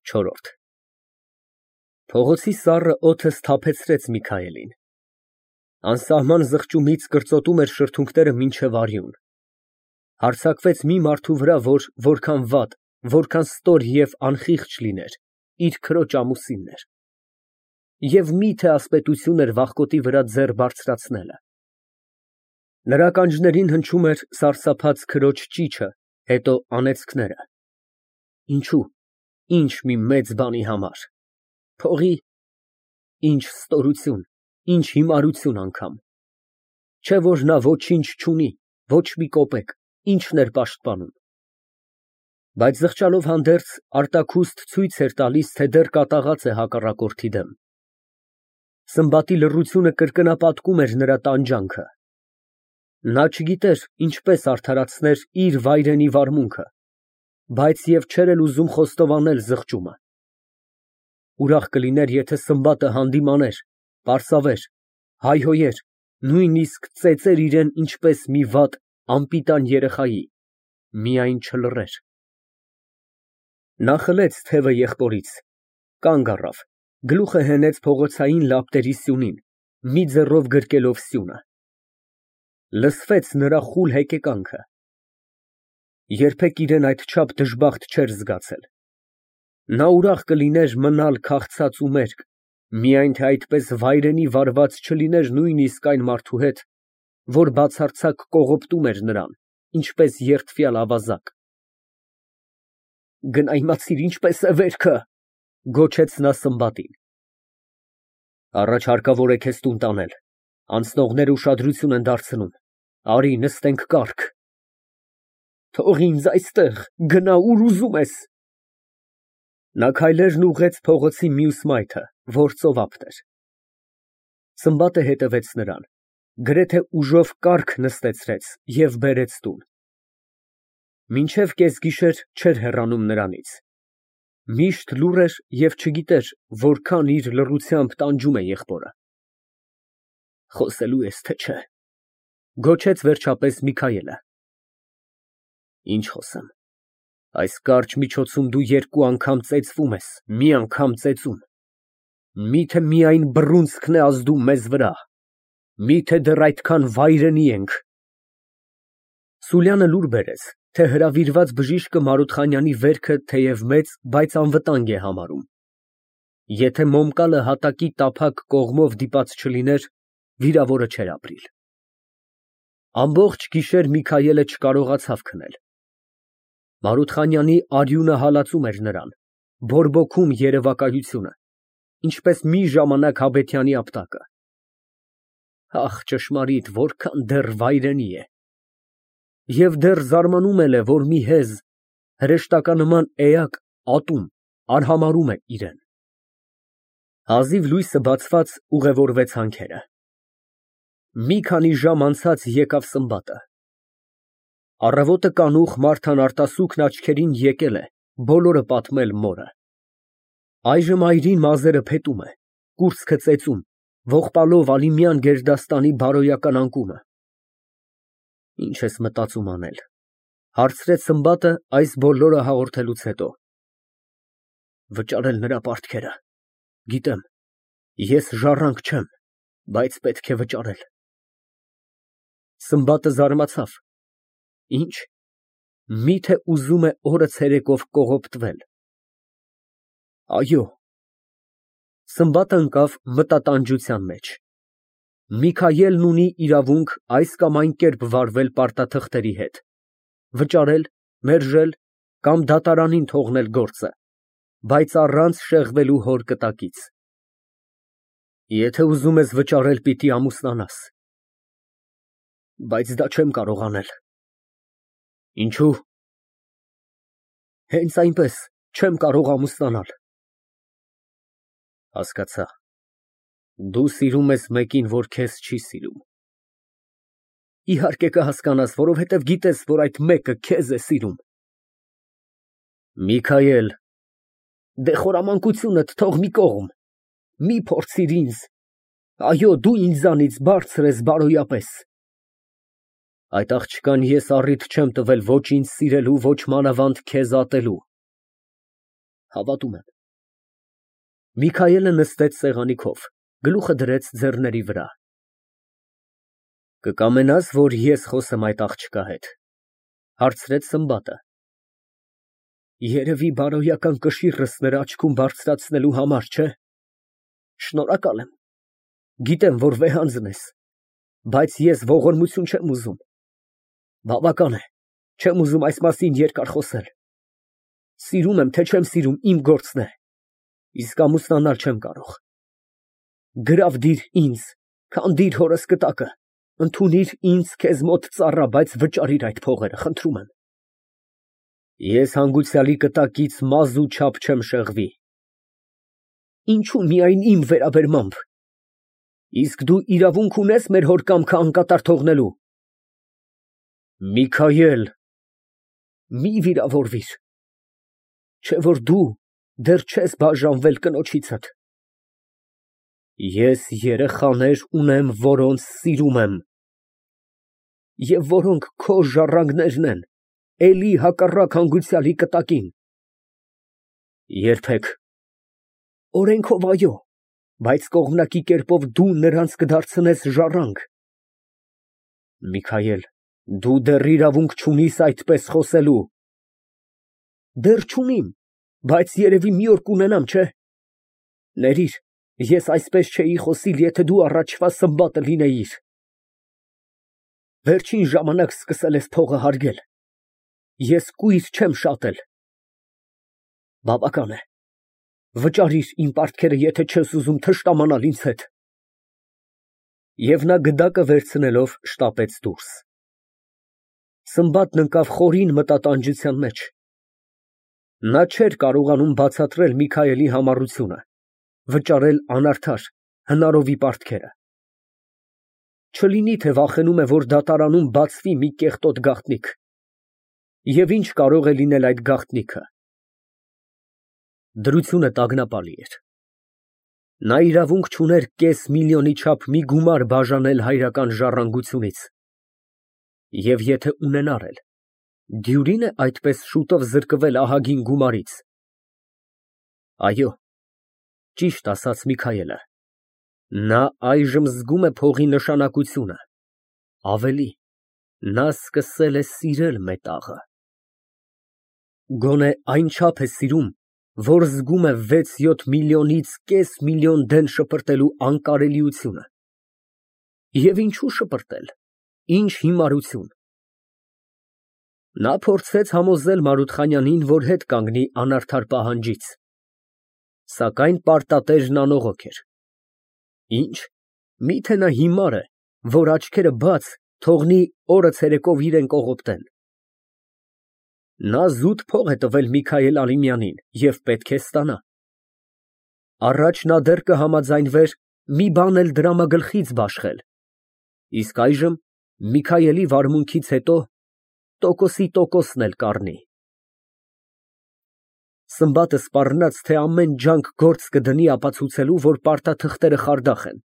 Չորրորդ Փողոցի սառը օդը սթափեցրեց Միքայելին։ Անսահման զղջումից կրծոտում էր շրթունքները մինչև արյուն։ Հարձակվեց մի մարդու վրա, որ որքան վատ, որքան ստոր և անխիղճ լիներ, իր քրոջ ամուսինն էր։ Եվ մի՞թե ասպետություն էր վախկոտի վրա ձեռ բարձրացնելը։ Նրա ականջներին հնչում էր սարսափած քրոջ ճիչը, հետո անեծքները։ Ինչո՞ւ, ինչ մի մեծ բանի համար, փողի, ինչ ստորություն, ինչ հիմարություն անգամ, չէ՞ որ նա ոչինչ չունի, ոչ մի կոպեկ, ի՞նչն էր պաշտպանում։ Բայց զղջալով հանդերձ արտաքուստ ցույց էր տալիս, թե դեռ կատաղած է հակառակորդի դեմ։ Սմբատի լռությունը կրկնապատկում էր նրա տանջանքը։ Նա չգիտեր ինչպես արդարացներ իր վայրենի վարմունքը, բայց և չէր էլ ուզում խոստովանել զղջումը։ Ուրախ կլիներ, եթե Սմբատը հանդիմաներ, պարսավեր, հայհոյեր, նույնիսկ ծեծեր իրան ինչպես մի վատ, անպիտան երեխայի, միայն չլռեր։ Նա խլեց թևը եղբորից, կանգ առավ, գլուխը հենեց փողոցային լապտերի սյունին, մի ձեռով գրկելով սյունը։ Լսվեց նրա խուլ հեկեկանքը։ Երբեք իրան այդչափ դժբախտ չէր զգացել։ Նա ուրախ կլիներ մնալ քաղցած ու մերկ, միայն թե այդպես վայրենի վարված չլիներ նույնիսկ այն մարդու հետ, որ բացարձակ կողոպտում էր նրան, ինչպես երդվյալ ավազակ։ Գնա իմացիր ինչպես է վերքը, գոչեց նա Սմբատին։ Առաջ հարկավոր է քեզ տուն տանել, անցնողները ուշադրություն են դարձնում, արի նստենք կառք։ Թող ինձ այստեղ, գնա ուր ուզում ես։ Նա քայլերն ուղղեց փողոցի մյուս մայթը, որ ծովափտ էր։ Սմբատը հետևեց նրան, գրեթե ուժով կառք նստեցրեց և բերեց տուն։ Մինչև կեսգիշեր չէր հեռանում նրանից։ Միշտ լուռ էր և չգիտեր որքան իր լռությամբ տանջում է եղբորը։ Խոսելո՞ւ ես, թե չէ, գոչեց վերջապես Միքայելը։ Ինչ խոսեմ, այս կարճ միջոցում դու երկու անգամ ծեծվում ես, մի անգամ ծեծում։ Միթե միայն բռունցքն է ազդու մեզ վրա, միթե դեռ այդքան վայրենի ենք։ Սուլյանը լուր բերեց, թե հրավիրված բժիշկը Մարութխանյանի վերքը թեև մեծ, բայց անվտանգ է համարում։ Եթե Մոմկալը հատակի տափակ կողմով դիպած չլիներ, վիրավորը չէր ապրիլ։ Ամբողջ գիշեր Միքայելը չկարողացավ քնել։ Մարութխանյանի արյունը հալածում էր նրան, բորբոքում երևակայությունը, ինչպես մի ժամանակ Հաբեթյանի ապտակը։ Ահ, ճշմարիտ, որքան դեռ վայրենի է։ Եվ դեռ զարմանում էլ է, որ մի հեզ, հրեշտականման էակ, ատում, արհամարհում է իրան։ Հազիվ լույսը բացված ուղևորվեց հանքերը։ Մի քանի ժամ անցած եկավ Սմբատը։ Առավոտը կանուխ Մարթան արտասուքն աչքերին եկել է բոլորը պատմել մորը։ Այժմ այրին մազերը փետում է, կուրծքը ծեծում, ողբալով Ալիմյան գերդաստանի բարոյական անկումը։ Ինչ ես մտածում անել, հարցրեց Սմբատը այս բոլորը հաղորդելուց հետո։ Վճարել նրա պարտքերը, գիտեմ, ես ժառանգ չեմ, բայց պետք է վճարել։ Սմբատը զարմացավ։ Ինչ, միթե ուզում է օրը ցերեկով կողոպտվել։ Այո։ Սմբատը ընկավ մտատանջության մեջ։ Միքայելն ունի իրավունք այս կամ այն կերպ վարվել պարտաթղթերի հետ, վճարել, մերժել կամ դատարանին թողնել գործը, բայց առանց շեղվելու հոր կտակից։ Եթե ուզում ես վճարել, պիտի ամուսնանաս։ Բայց դա չեմ կարող անել։ Ինչո՞ւ։ Հենց այնպես չեմ կարող ամուսնանալ։ Հասկացա, դու սիրում ես մեկին, որ քեզ չի սիրում։ Իհարկե կհասկանաս, որովհետև գիտես, որ այդ մեկը քեզ է սիրում։ Միքայել, դե խորամանկությունդ թող մի կողմ, մի փորձիր ինձ, այո, դու ինձանից բարձր ես բարոյապես։ Այդ աղջկան ես առիթ չեմ տվել ոչ ինձ սիրելու, ոչ մանավանդ քեզ ատելու։ Հավատում եմ, Միքայելը նստեց սեղանի քով, գլուխը դրեց ձեռների վրա։ Կկամենա՞ս, որ ես խոսեմ այդ աղջկա հետ, հարցրեց Սմբատը։ Երևի բարոյական կշիռս նրա աչքում բարձրացնելու համար, չէ՞։ Շնորհակալ եմ։ Գիտեմ, որ վեհանձն ես, բայց ես ողորմություն չեմ ուզում։ Բավական է, չեմ ուզում այս մասին երկար խոսել։ Սիրում եմ, թե չեմ սիրում, իմ գործն է, իսկ ամուսնանալ չեմ կարող։ Գրավ դիր ինձ, քանդիր հորս կտակը, ընդունիր ինձ քեզ մոտ ծառա, բայց վճարիր այդ փողերը, խնդրում եմ։ Ես հանգուցյալի կտակից մազ ու չափ չեմ շեղվի։ Ինչու միայն իմ վերաբերմամբ։ Իսկ դու իրավունք ունես մեր հոր կամքը անկատար թողնելու։ Միքայել, մի վիրավորվիր, չէ որ դու դեռ չես բաժանվել կնոջիցդ։ Ես երեխաներ ունեմ, որոնց սիրում եմ, և որոնք քո ժառանգներն են, էլի հակառակ հանգուցյալի կտակին։ Երբեք։ Օրենքով այո, բայց կողմնակի կերպով դու նրանց կդարձնես ժառանգ։ Միքայել, դու դեռ իրավունք չունիս այդպես խոսելու։ Դեռ չունիմ, բայց երևի մի օր կունենամ, չէ՞։ Ներիր, ես այսպես չէի խոսիլ, եթե դու առաջվա Սմբատը լինեիր։ Վերջին ժամանակ սկսել ես փողը հարգել։ Ես կույր չեմ շատել։ Բավական է։ Վճարիր իմ պարտքերը, եթե չես ուզում թշնամանալ ինձ հետ։ Եվ նա գդակը վերցնելով շտապեց դուրս։ Սմբատն ընկավ խորին մտատանջության մեջ։ Նա չէր կարողանում բացատրել Միքայելի համառությունը, վճարել անարդար, հնարովի պարտքերը։ Չլինի, թե վախենում է, որ դատարանում բացվի մի կեղտոտ գաղտնիք։ Եվ ինչ կարող է լինել այդ գաղտնիքը։ Դրությունը տագնապալի էր։ Նա իրավունք չուներ կես միլիոնի չափ մի գումար բաժանել հայրական ժառանգությունից։ Եվ եթե ունենար էլ, դյուրին է այդպես շուտով զրկվել ահագին գումարից։ Այո, ճիշտ ասաց Միքայելը, նա այժմ զգում է փողի նշանակությունը, ավելի, նա սկսել է սիրել մետաղը։ Գոնե այնչափ է սիրում, որ զգում է 6-7 միլիոնից կես միլիոն դեն շպրտելու անկարելիությունը։ Եվ ինչու շպրտել, ինչ հիմարություն։ Նա փորձեց համոզել Մարութխանյանին, որ հետ կանգնի անարդար պահանջից, սակայն պարտատերն անողոք էր։ Ինչ, միթե նա հիմար է, որ աչքերը բաց թողնի օրը ցերեկով իրեն կողոպտեն։ Նա զուտ փող է տվել Միքայել Ալիմյանին և պետք է ստանա։ Առաջ նա դեռ կհամաձայնվեր մի բան էլ դրամագլխից բաշխել, իսկ այժմ Միքայելի վարմունքից հետո տոկոսի տոկոսն էլ կառնի։ Սմբատը սպառնաց, թե ամեն ջանք գործ կդնի ապացուցելու, որ պարտաթղթերը խարդախ են։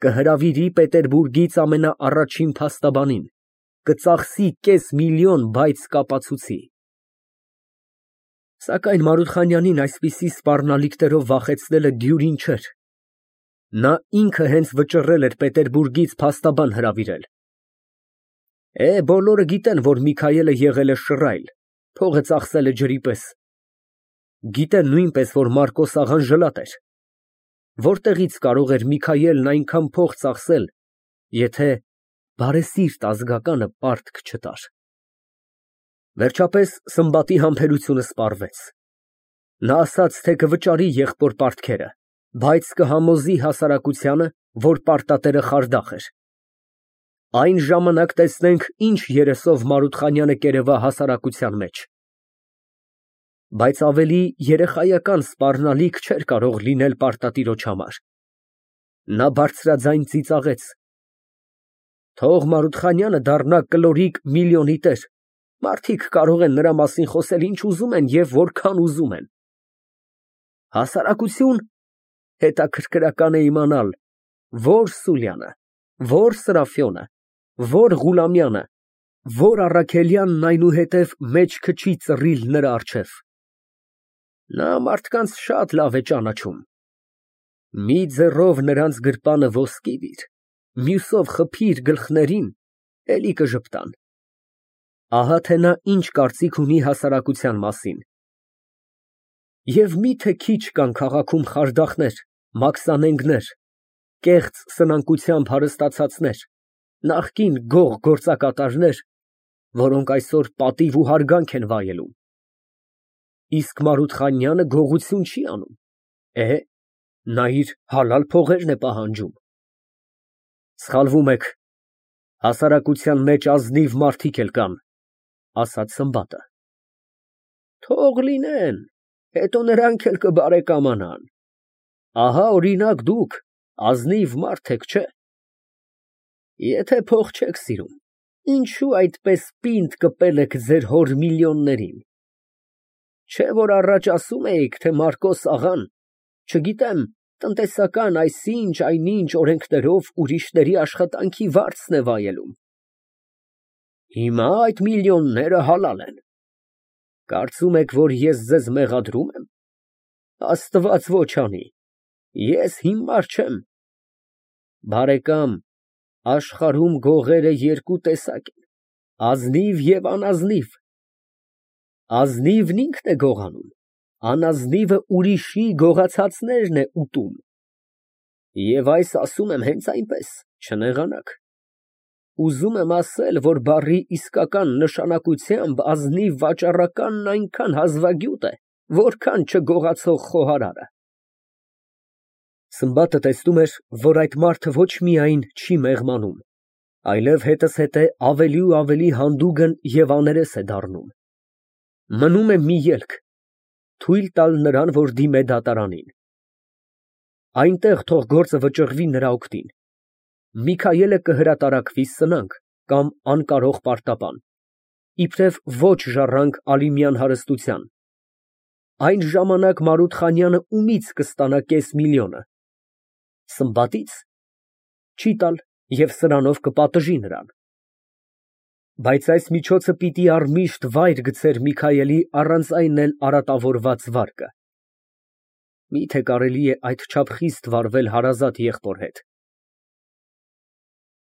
Կհրավիրի Պետերբուրգից ամենաառաջին փաստաբանին, կծախսի կես միլիոն, բայց կապացուցի։ Սակայն Մարութխանյանին այսպիսի սպառնալիքներով վախեցնելը դյուրին չէր։ Նա ինքը հենց վճռել էր Պետերբուրգից փաստաբան հրավիրել։ Բոլորը գիտեն, որ Միքայելը եղել է շռայլ, փողը ծախսել է ջրի պես։ Գիտեն նույնպես, որ Մարկոս աղան ժլատ էր։ Որտեղից կարող էր Միքայելն այնքան փող ծախսել, եթե բարեսիրտ ազգականը պարտք չտար։ Վերջապես Սմբատի համբերությունը սպառվեց։ Նա ասաց, թե կվճարի եղբոր պարտքերը, բայց կհամոզի հասարակությանը, որ պարտատերը խարդախ էր։ Այն ժամանակ տեսնենք, ինչ երեսով Մարութխանյանը կերևա հասարակության մեջ։ Բայց ավելի երեխայական սպառնալիք չէր կարող լինել պարտատիրոջ համար։ Նա բարձրաձայն ծիծաղեց. Թող Մարութխանյանը դառնա կլորիկ միլիոնի տեր, մարդիկ կարող են նրա մասին խոսել ինչ ուզում են և որքան ուզում են։ Հասարակություն, հետաքրքրական է իմանալ, որ Սուլյանը, որ Սրաֆյոնը, որ Ղուլամյանը, որ Առաքելյանն այնուհետև մեջքը չի ծռիլ նրա առջև։ Նա մարդկանց շատ լավ է ճանաչում։ Մի ձեռով նրանց գրպանը ոսկի դիր, մյուսով խփիր գլխներին, էլի կժպտան։ Ահա թե նա ինչ կարծիք ունի հասարակության մասին։ Եվ միթե քիչ կան քաղաքում խարդախներ, մաքսանենգներ, կեղծ սնանկությամբ հարստացածներ, նախկին գող գործակատարներ, որոնք այսօր պատիվ ու հարգանք են վայելում։ Իսկ Մարութխանյանը գողություն չի անում, նա իր հալալ փողերն է պահանջում։ Սխալվում եք, հասարակության մեջ ազնիվ մարդիկ էլ կան, ասաց Սմբատը։ Թող լինեն, հետո նրանք էլ կբարեկամանան։ Ահա օրինակ դուք ազնիվ մարդ եք, չէ՞։ Եթե փող չեք սիրում, ինչու այդպես պինդ կպել եք ձեր հոր միլիոններին։ Չէ՞ որ առաջ ասում էիք, թե Մարկոս աղան, չգիտեմ, տնտեսական այսինչ այնինչ օրենքներով ուրիշների աշխատանքի վարձն է վայելում։ Հիմա այդ միլիոնները հալալ են։ Կարծում եք, որ ես ձեզ մեղադրում եմ։ Աստված ոչ անի, ես հիմար չեմ։ Բարեկամ, աշխարհում գողերը երկու տեսակ են, ազնիվ և անազնիվ։ Ազնիվն ինքն է գողանում, անազնիվը ուրիշի գողացածներն է ուտում։ Եվ այս ասում եմ հենց այնպես, չնեղանաք։ Ուզում եմ ասել, որ բառի իսկական նշանակությամբ ազնիվ վաճառականն այնքան հազվագյուտ է, որքան չգողացող խոհարարը։ Սմբատը տեսնում էր, որ այդ մարդը ոչ միայն չի մեղմանում, այլև հետզհետե ավելի ու ավելի հանդուգն և աներես է դառնում։ Մնում է մի ելք, թույլ տալ նրան, որ դիմե դատարանին։ Այնտեղ թող գործը վճռվի նրա օգտին։ Միքայելը կհրատարակվի սնանկ կամ անկարող պարտապան, իբրև ոչ ժառանգ Ալիմյան հարստության։ Այն ժամանակ Մարութխանյանը ումից կստանա կես միլիոնը։ Սմբատից։ Չի տալ և սրանով կպատժի նրան։ Բայց այս միջոցը պիտի առմիշտ վայր գցեր Միքայելի առանց այն էլ արատավորված վարկը։ Միթե կարելի է այդչափ խիստ վարվել հարազատ եղբոր հետ։